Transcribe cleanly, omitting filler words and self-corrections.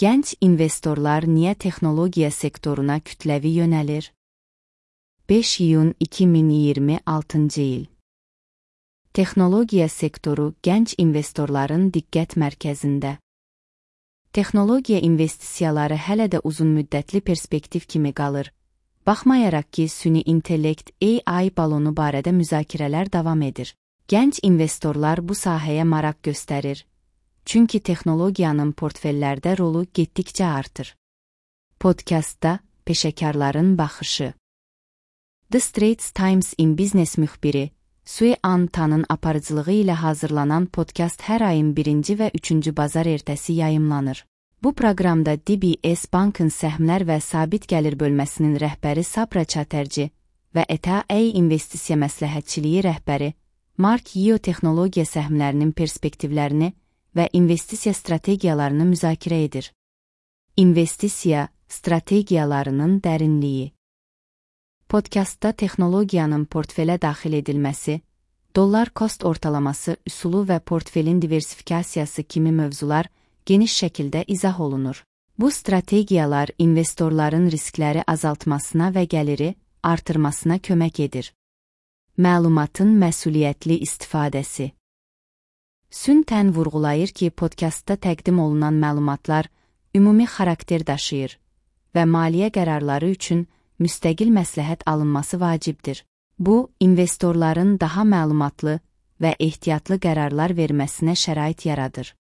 Gənc investorlar niyə texnologiya sektoruna kütləvi yönəlir? 5 iyun 2026-cı il. Texnologiya sektoru gənc investorların diqqət mərkəzində. Texnologiya investisiyaları hələ də uzunmüddətli perspektiv kimi qalır. Baxmayaraq ki, süni intellekt AI balonu barədə müzakirələr davam edir. Gənc investorlar bu sahəyə maraq göstərir. Çünki texnologiyanın portfellərdə rolu getdikcə artır. Podkastda peşəkarların baxışı. The Straits Times in Business müxbiri Sue Ann Tan'ın aparıcılığı ilə hazırlanan podkast hər ayın 1-ci və 3-cü bazar ertəsi yayımlanır. Bu proqramda DBS Bankın səhmlər və sabit gəlir bölməsinin rəhbəri Sabra Chatterjee və ETA investisiya məsləhətçiliyi rəhbəri Mark Yeo texnologiya səhmlərinin perspektivlərini və investisiya strategiyalarını müzakirə edir. İnvestisiya strategiyalarının dərinliyi. Podkastda texnologiyanın portfelə daxil edilməsi, dollar cost ortalaması üsulu və portfelin diversifikasiyası kimi mövzular geniş şəkildə izah olunur. Bu strategiyalar investorların riskləri azaltmasına və gəliri artırmasına kömək edir. Məlumatın məsuliyyətli istifadəsi. Sun Tan vurğulayır ki, podkastda təqdim olunan məlumatlar ümumi xarakter daşıyır və maliyyə qərarları üçün müstəqil məsləhət alınması vacibdir. Bu, investorların daha məlumatlı və ehtiyatlı qərarlar verməsinə şərait yaradır.